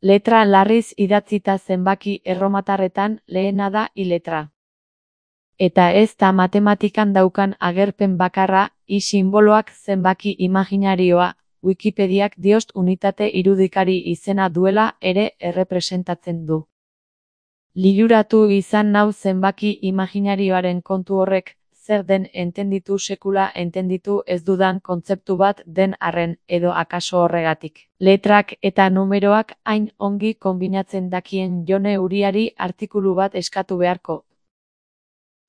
Letra larriz idatzita zenbaki erromatarretan lehena da I letra. Eta ez da matematikan daukan agerpen bakarra, I sinboloak zenbaki imaginarioa, Wikipediak diost unitate irudikari izena duela ere errepresentatzen du. Liluratu izan nau zenbaki imaginarioaren kontu horrek, zer den entenditu sekula entenditu ez dudan kontzeptu bat den arren, edo akaso horregatik. Letrak eta numeroak hain ongi konbinatzen dakien Jone Uriari artikulu bat eskatu beharko.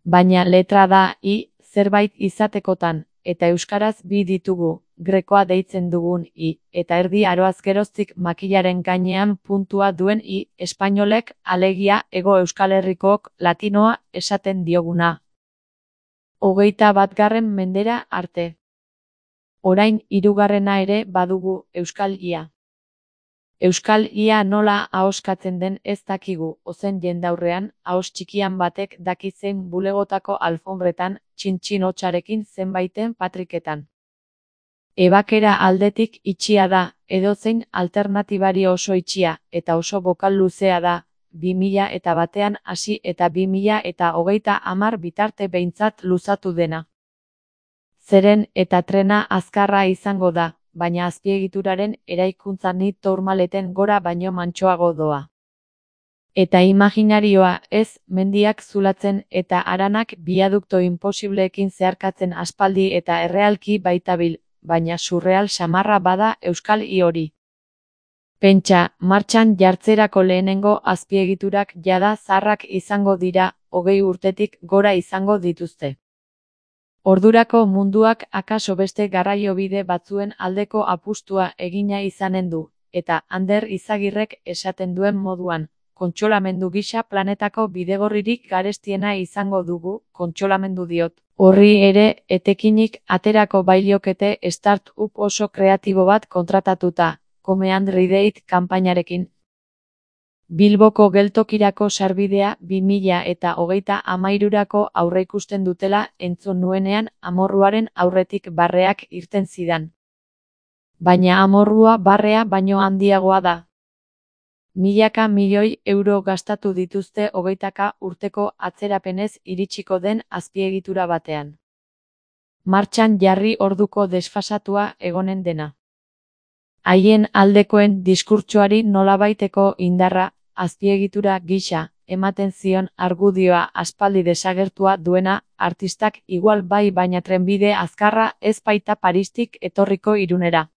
Baina letra da I zerbait izatekotan, eta euskaraz bi ditugu, grekoa deitzen dugun I, eta erdi aroaz geroztik makilaren gainean puntua duen I, espainolek, alegia Hego Euskal Herrikook latinoa esaten dioguna. 21. mendera arte. Orain 3. ere badugu, Euskal Ia. Euskal Ia nola ahoskatzen den ez dakigu, ozen jendaurrean, ahos txikian batek daki zein bulegotako alfonbretan, txintxin hotsarekin zenbaiten patriketan. Ebakera aldetik itxia da, edozein alternatibari oso itxia, eta oso bokal luzea da, 2001 hasi eta 2030 bitarte behintzat luzatu dena. Zeren eta trena azkarra izango da, baina azpiegituraren eraikuntza ni tourmaleten gora baino mantsoago doa. Eta imaginarioa ez, mendiak zulatzen eta haranak biadukto inposibleekin zeharkatzen aspaldi eta errealki baitabil, baina surreal samarra bada Euskal I hori. Pentsa, martxan jartzerako lehenengo azpiegiturak jada zaharrak izango dira, 20 urtetik gora izango dituzte. Ordurako munduak akaso beste garraiobide batzuen aldeko apustua egina izanen du, eta Ander Izagirrek esaten duen moduan, kontsolamendu gisa planetako bidegorririk garestiena izango dugu, kontsolamendu diot. Horri ere, etekinik aterako bailiokete start-up oso kreatibo bat kontratatuta, Come and Read kanpainarekin. Bilboko geltokirako sarbidea 2023rako aurreikusten dutela entzun nuenean amorruaren aurretik barreak irten zidan. Baina amorrua barrea baino handiagoa da. Milaka milioi euro gastatu dituzte 20 urteko atzerapenez iritsiko den azpiegitura batean. Martxan jarri orduko desfasatua egonen dena. Haien aldekoen diskurtsoari nolabaiteko indarra, azpiegitura gisa, ematen zion argudioa aspaldi desagertua duena, artistak igual bai baina trenbide azkarra ez baita Paristik etorriko Irunera.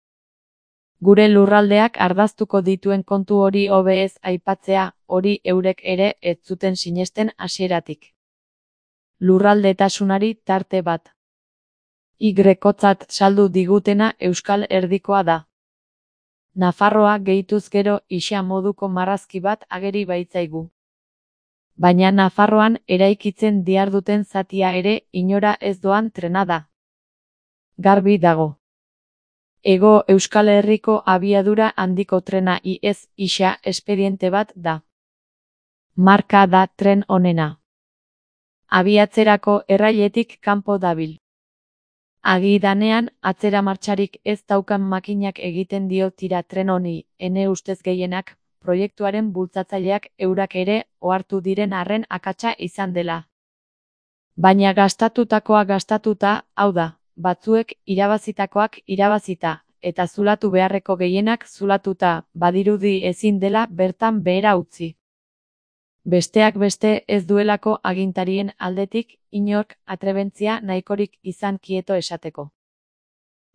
Gure lurraldeak ardaztuko dituen kontu hori hobe ez aipatzea, hori eurek ere ez zuten sinesten hasieratik. Lurraldetasunari tarte bat. Y-kotzat saldu digutena Euskal Erdikoa da. Nafarroa gehituz gero isa moduko marrazki bat ageri baitzaigu. Baina Nafarroan eraikitzen diarduten zatia ere inora ez doan trena da. Garbi dago. Hego Euskal Herriko abiadura handiko trena IS isa espediente bat da. Marka da tren honena. Abiatzerako errailetik kanpo dabil. Agidanean, atzera martxarik ez daukan makinak egiten dio tira tren honi, ene ustez gehienak, proiektuaren bultzatzaileak eurak ere ohartu diren arren akatsa izan dela. Baina gastatutakoa gastatuta, hau da, batzuek irabazitakoak irabazita, eta zulatu beharreko gehienak zulatuta, badirudi ezin dela bertan behera utzi. Besteak beste ez duelako agintarien aldetik inork atrebentzia nahikorik izan kieto esateko.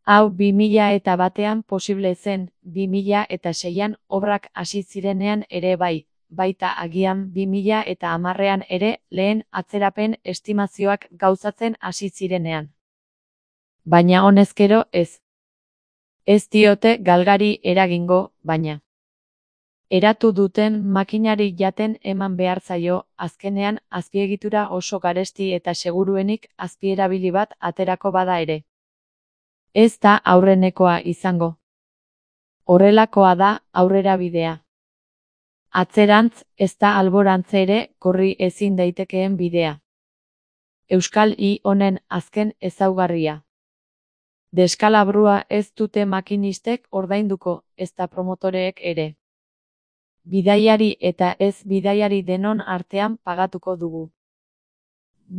Hau 2001an posible zen, 2006an obrak hasi zirenean ere bai, baita agian 2010an ere lehen atzerapen estimazioak gauzatzen hasi zirenean. Baina honezkero ez. Ez diote galgari eragingo, baina. Eratu duten makinari jaten eman behar zaio, azkenean azpiegitura oso garesti eta seguruenik azpierabili bat aterako bada ere. Ez da aurrenekoa izango. Horrelakoa da aurrera bidea. Atzerantz, ez da alborantze ere korri ezin daitekeen bidea. Euskal I honen azken ezaugarria. Deskalabrua ez dute makinistek ordainduko, ezta promotoreek ere. Bidaiari eta ez bidaiari denon artean pagatuko dugu.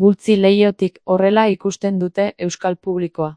Bultzi leihotik horrela ikusten dute euskal publikoa.